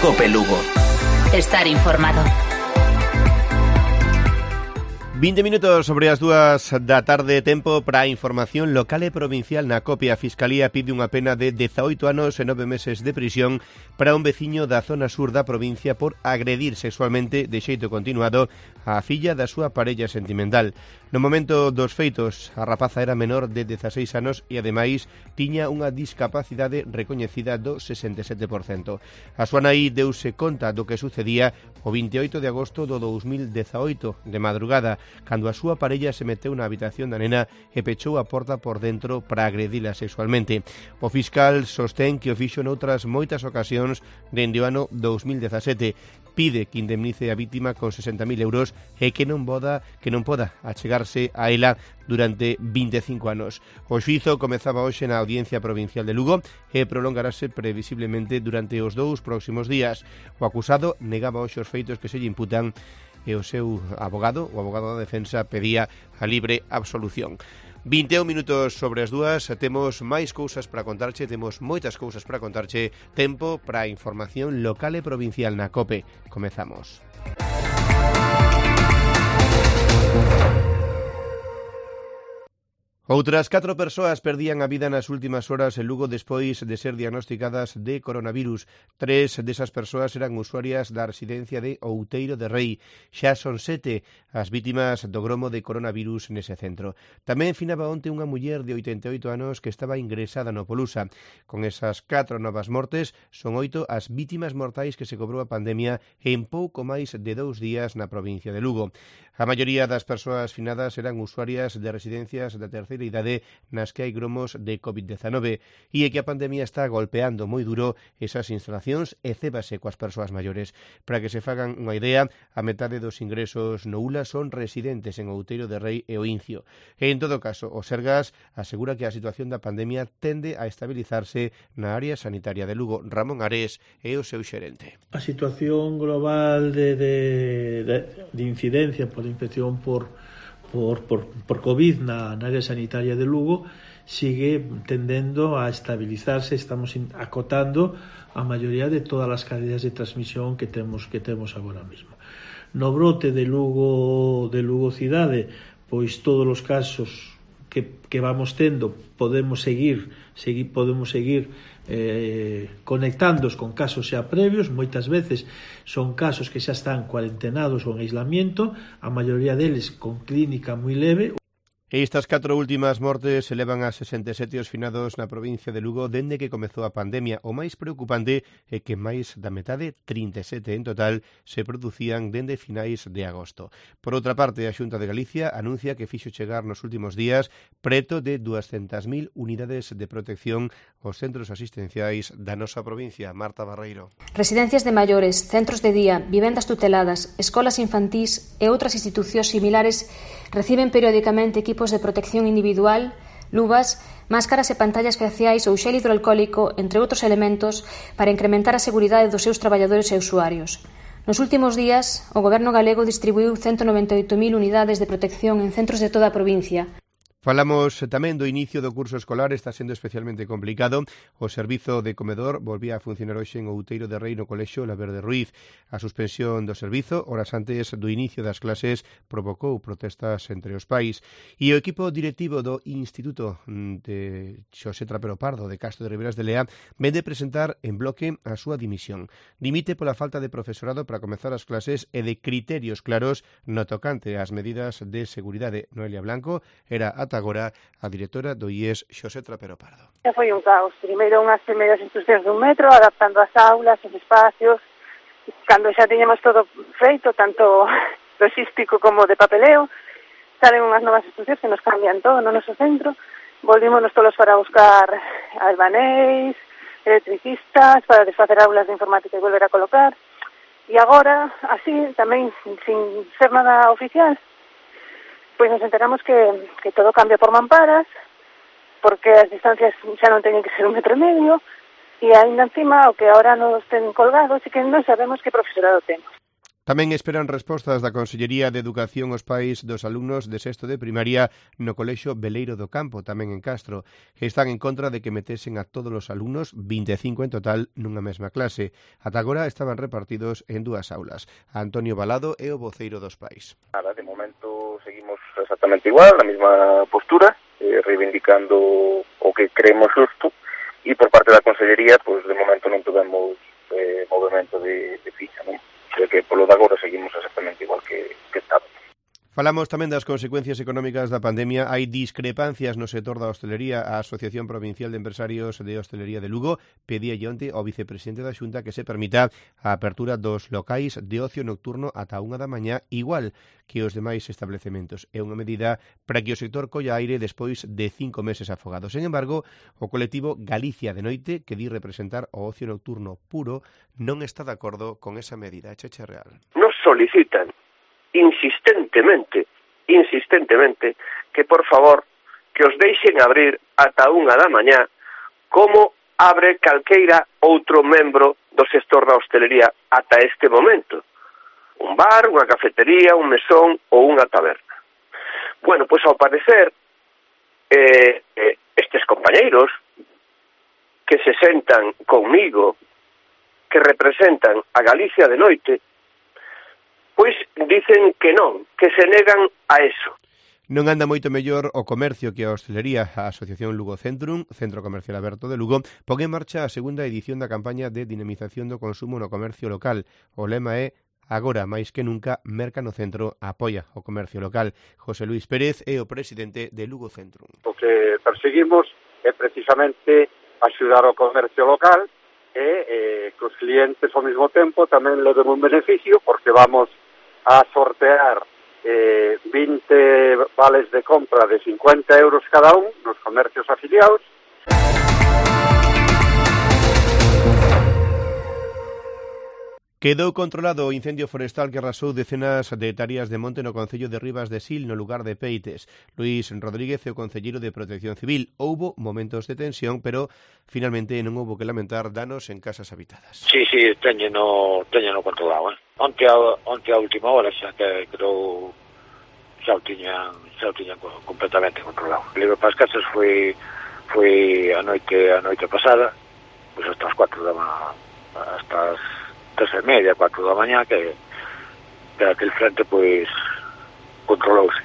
Cope Lugo. Estar informado. 20 minutos sobre as 2 da tarde, tempo para a información local e provincial na COPE. A Fiscalía pide unha pena de 18 anos e 9 meses de prisión para un veciño da zona sur da provincia por agredir sexualmente de xeito continuado a filla da súa parella sentimental. No momento dos feitos, a rapaza era menor de 16 anos e ademais tiña unha discapacidade recoñecida do 67%. A súa nai deuse conta do que sucedía o 28 de agosto do 2018 de madrugada, cando a súa parella se meteu na habitación da nena e pechou a porta por dentro para agredila sexualmente. O fiscal sostén que o fixo noutras moitas ocasións dende o ano 2017. Pide que indemnice a vítima con 60.000 euros e que non poda achegarse a ela durante 25 anos. O xuízo comezaba hoxe na Audiencia Provincial de Lugo e prolongarase previsiblemente durante os 2 próximos días. O acusado negaba hoxe os feitos que se lle imputan e o seu abogado, o abogado da defensa, pedía a libre absolución. 21 minutos sobre as 2, temos máis cousas para contarche, temos moitas cousas para contarche, tempo para a información local e provincial na COPE. Comezamos. Outras 4 persoas perdían a vida nas últimas horas en Lugo despois de ser diagnosticadas de coronavirus. 3 desas persoas eran usuarias da residencia de Outeiro de Rei. Xa son 7 as vítimas do gromo de coronavirus nese centro. Tamén finaba onte unha muller de 88 anos que estaba ingresada no Polusa. Con esas 4 novas mortes, son 8 as vítimas mortais que se cobrou a pandemia en pouco máis de 2 días na provincia de Lugo. A maioría das persoas finadas eran usuarias de residencias da terceira idade nas que hai gromos de COVID-19 e é que a pandemia está golpeando moi duro esas instalacións e cébase coas persoas maiores. Para que se fagan unha idea, a metade dos ingresos no ULA son residentes en Outeiro de Rei e o Incio. E en todo caso, o Sergas asegura que a situación da pandemia tende a estabilizarse na área sanitaria de Lugo. Ramón Ares é o seu xerente. A situación global de incidencia por infección por COVID na área sanitaria de Lugo sigue tendendo a estabilizarse. Estamos acotando a maioría de todas as cadeas de transmisión que temos agora mesmo. No brote de Lugo cidade, pois todos os casos que vamos tendo podemos seguir conectándoos con casos xa previos. Moitas veces son casos que xa están cuarentenados ou en aislamiento, a maioría deles con clínica moi leve. E estas 4 últimas mortes se levan a 67 os finados na provincia de Lugo dende que comezou a pandemia. O máis preocupante é que máis da metade, 37 en total, se producían dende finais de agosto. Por outra parte, a Xunta de Galicia anuncia que fixo chegar nos últimos días preto de 200.000 unidades de protección aos centros asistenciais da nosa provincia. Marta Barreiro. Residencias de maiores, centros de día, vivendas tuteladas, escolas infantís e outras institucións similares reciben periódicamente equipos de protección individual, luvas, máscaras e pantallas faciais ou xel hidroalcohólico, entre outros elementos, para incrementar a seguridade dos seus traballadores e usuarios. Nos últimos días, o Goberno galego distribuiu 198.000 unidades de protección en centros de toda a provincia. Falamos tamén do inicio do curso escolar, está sendo especialmente complicado. O servizo de comedor volvía a funcionar hoxe en Outeiro de Rei no colexio Laverde Ruiz. A suspensión do servizo, horas antes do inicio das clases, provocou protestas entre os pais. E o equipo directivo do Instituto de Xosé Trapero Pardo de Castro de Riberas de Lea vende presentar en bloque a súa dimisión. Dimite pola falta de profesorado para comezar as clases e de criterios claros no tocante ás medidas de seguridade. Noelia Blanco era agora a directora do IES Xosé Trapero Pardo. Foi un caos. Primeiro unhas primeiras instruccións dun metro, adaptando as aulas, os espacios. Cando xa tiñamos todo feito, tanto logístico como de papeleo, salen unhas novas instruccións que nos cambian todo no noso centro. Volvímonos todos para buscar albanéis, electricistas, para desfacer aulas de informática e volver a colocar. E agora, así, tamén, sin ser nada oficial, pois nos enteramos que todo cambia por mamparas, porque as distancias xa non teñen que ser 1,5 metros, e aínda encima o que agora nos ten colgados e que non sabemos que profesorado temos. Tamén esperan respostas da Consellería de Educación aos pais dos alumnos de sexto de primaria no Colexio Beleiro do Campo, tamén en Castro, que están en contra de que metesen a todos os alumnos, 25 en total, nunha mesma clase. Ata agora estaban repartidos en 2 aulas. Antonio Balado é o voceiro dos pais. Nada, de momento seguimos exactamente igual, na mesma postura, reivindicando o que creemos xusto, e por parte da Consellería, pues, de momento non tivemos movimento de ficha, non? De que polo de agora seguimos exactamente igual que estaba. Falamos tamén das consecuencias económicas da pandemia. Hai discrepancias no sector da hostelería. A Asociación Provincial de Empresarios de Hostelería de Lugo pedía onte ao vicepresidente da Xunta que se permita a apertura dos locais de ocio nocturno ata 1 da mañá, igual que os demais establecementos. É unha medida para que o sector colla aire despois de 5 meses afogado. Sen embargo, o colectivo Galicia de Noite, que di representar o ocio nocturno puro, non está de acordo con esa medida. Cheche Real. Nos solicitan insistentemente que por favor que os deixen abrir ata 1 da mañá como abre calqueira outro membro do sector da hostelería ata este momento. Un bar, unha cafetería, un mesón ou unha taberna. Bueno, pois ao parecer estes compañeiros que se sentan conmigo, que representan a Galicia de Noite, pois dicen que non, que se negan a eso. Non anda moito mellor o comercio que a hostelería. A Asociación Lugo Centrum, Centro Comercial Aberto de Lugo, pon en marcha a segunda edición da campaña de dinamización do consumo no comercio local. O lema é agora, máis que nunca, merca no centro, apoia o comercio local. José Luis Pérez é o presidente de Lugo Centrum. O que perseguimos é precisamente axudar o comercio local e que os clientes ao mesmo tempo tamén leven un beneficio, porque vamos a sortear 20 vales de compra de 50 euros cada un nos comercios afiliados. Quedou controlado o incendio forestal que arrasou decenas de hectáreas de monte no concello de Ribas de Sil, no lugar de Peites. Luís Rodríguez é o concelleiro de Protección Civil. Houbo momentos de tensión, pero finalmente non houbo que lamentar danos en casas habitadas. Sí, teñeno controlado, Onte a última hora xa que creo xa o tiñan completamente controlado. O libro para as casas foi a noite pasada, pois hasta as 4 da mañá, hasta as 3:30, 4 da mañá, que aquel frente pois controlouse.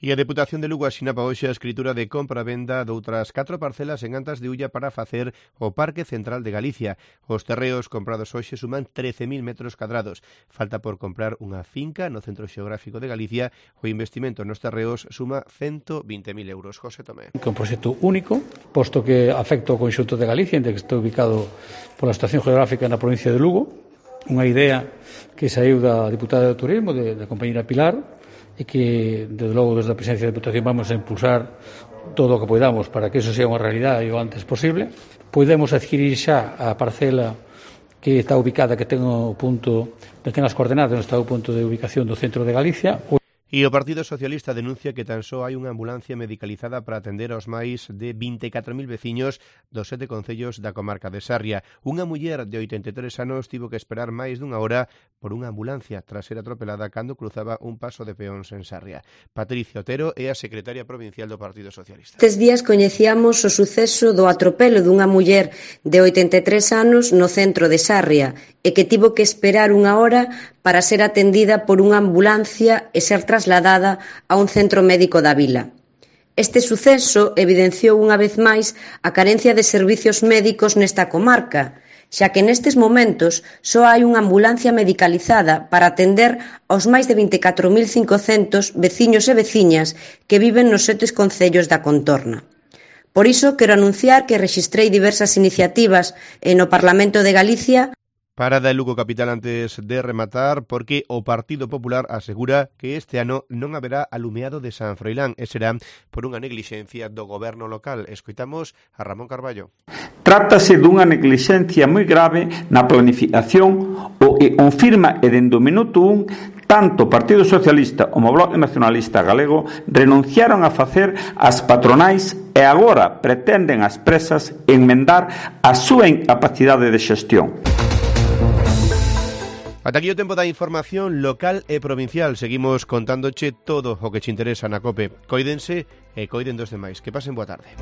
E a Deputación de Lugo asinaba hoxe a escritura de compra-venda doutras 4 parcelas en Antas de Ulla para facer o Parque Central de Galicia. Os terreos comprados hoxe suman 13.000 metros cadrados. Falta por comprar unha finca no Centro Xeográfico de Galicia. O investimento nos terreos suma 120.000 euros. José Tomé. Un proxecto único, posto que afecta o conxunto de Galicia, en que está ubicado pola situación geográfica na provincia de Lugo. Unha idea que saiu da diputada de Turismo, da compañera Pilar, e que, desde logo, desde a Presidencia da Deputación vamos a impulsar todo o que podamos para que eso sea unha realidade o antes posible. Podemos adquirir xa a parcela que está ubicada, que ten o punto, que ten as coordenadas, onde está o punto de ubicación do centro de Galicia. E o Partido Socialista denuncia que tan só hai unha ambulancia medicalizada para atender aos máis de 24.000 veciños dos 7 concellos da comarca de Sarria. Unha muller de 83 anos tivo que esperar máis dunha hora por unha ambulancia tras ser atropelada cando cruzaba un paso de peóns en Sarria. Patricia Otero é a secretaria provincial do Partido Socialista. Estes días coñecíamos o suceso do atropelo dunha muller de 83 anos no centro de Sarria e que tivo que esperar unha hora para ser atendida por unha ambulancia e ser trasladada a un centro médico da vila. Este suceso evidenciou unha vez máis a carencia de servizos médicos nesta comarca, xa que nestes momentos só hai unha ambulancia medicalizada para atender aos máis de 24.500 veciños e veciñas que viven nos 7 concellos da contorna. Por iso, quero anunciar que rexistrei diversas iniciativas no Parlamento de Galicia. Parada en Lugo capital antes de rematar, porque o Partido Popular asegura que este ano non haberá alumeado de San Froilán e será por unha neglixencia do goberno local. Escoitamos a Ramón Carballo. Trátase dunha neglixencia moi grave na planificación o que confirma e dende o minuto 1 tanto o Partido Socialista como o Bloque Nacionalista Galego renunciaron a facer as patronais e agora pretenden as presas enmendar a súa incapacidade de xestión. Ata aquí o tempo da información local e provincial. Seguimos contándoche todo o que te interesa na COPE. Coídense e coiden dos demais. Que pasen boa tarde.